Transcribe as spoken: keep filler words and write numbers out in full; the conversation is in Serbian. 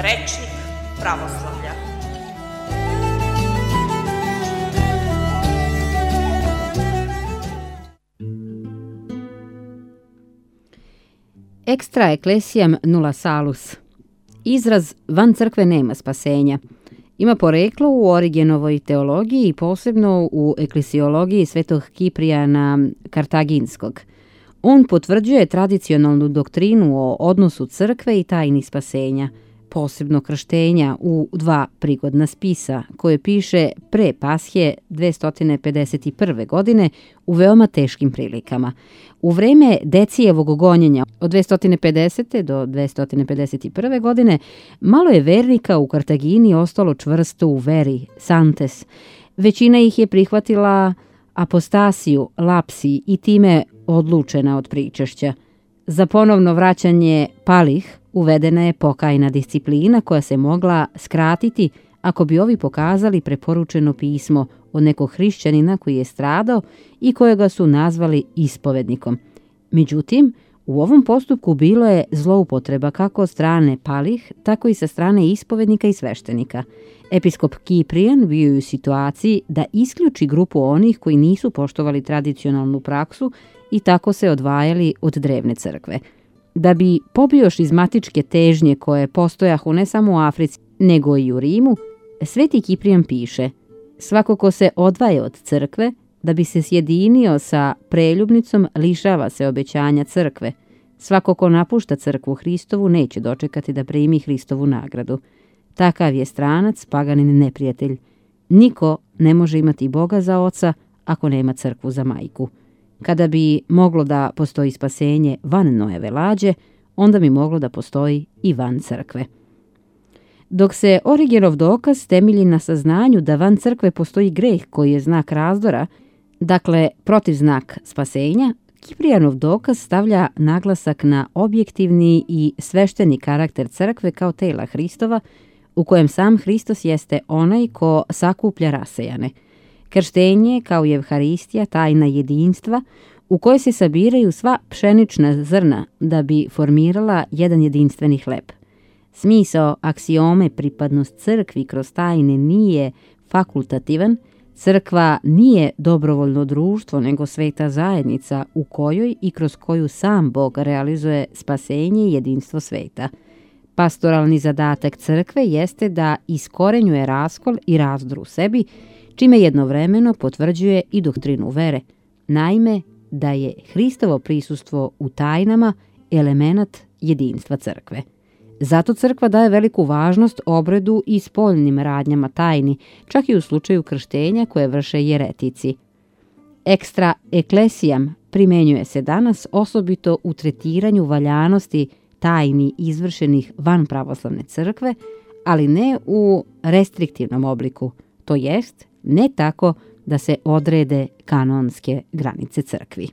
Rečnik pravoslavlja. Extra ecclesiam nulla salus. Izraz van crkve nema spasenja ima poreklo u Origenovoj teologiji i posebno u eklesiologiji svetog Kiprijana Kartaginskog. On potvrđuje tradicionalnu doktrinu o odnosu crkve i tajni spasenja, posebno krštenja u dva prigodna spisa, koje piše pre Pashe dvesta pedeset prve. godine u veoma teškim prilikama. U vreme Decijevog gonjenja od dvesta pedesete. do dvesta pedeset prve. godine malo je vernika u Kartagini ostalo čvrsto u veri, santes. Većina ih je prihvatila apostasiju, lapsi i time odlučena od pričešća. Za ponovno vraćanje palih uvedena je pokajna disciplina koja se mogla skratiti ako bi ovi pokazali preporučeno pismo od nekog hrišćanina koji je stradao i kojega su nazvali ispovednikom. Međutim, u ovom postupku bilo je zloupotreba kako od strane palih, tako i sa strane ispovednika i sveštenika. Episkop Kiprijan bio je u situaciji da isključi grupu onih koji nisu poštovali tradicionalnu praksu i tako se odvajali od drevne crkve. Da bi pobio šizmatičke težnje koje postojahu ne samo u Africi, nego i u Rimu, Sveti Kiprijan piše: svako ko se odvaja od crkve, da bi se sjedinio sa preljubnicom, lišava se obećanja crkve. Svako ko napušta crkvu Hristovu neće dočekati da primi Hristovu nagradu. Takav je stranac, paganin neprijatelj. Niko ne može imati Boga za oca ako nema crkvu za majku. Kada bi moglo da postoji spasenje van Noeve lađe, onda bi moglo da postoji i van crkve. Dok se Origenov dokaz temelji na saznanju da van crkve postoji greh koji je znak razdora, dakle protivznak spasenja, Kiprijanov dokaz stavlja naglasak na objektivni i svešteni karakter crkve kao tela Hristova, u kojem sam Hristos jeste onaj ko sakuplja rasejane. Krštenje kao i Evharistija, tajna jedinstva, u kojoj se sabiraju sva pšenična zrna da bi formirala jedan jedinstveni hleb. Smisao aksiome pripadnost crkvi kroz tajne nije fakultativan, crkva nije dobrovoljno društvo, nego sveta zajednica u kojoj i kroz koju sam Bog realizuje spasenje i jedinstvo sveta. Pastoralni zadatak crkve jeste da iskorenjuje raskol i razdor u sebi, čime jednovremeno potvrđuje i doktrinu vere, naime da je Hristovo prisustvo u tajnama elemenat jedinstva crkve. Zato crkva daje veliku važnost obredu i spoljnim radnjama tajni, čak i u slučaju krštenja koje vrše jeretici. Extra ecclesiam primenjuje se danas osobito u tretiranju valjanosti tajni izvršenih van pravoslavne crkve, ali ne u restriktivnom obliku, to jest ne tako da se odrede kanonske granice crkvi.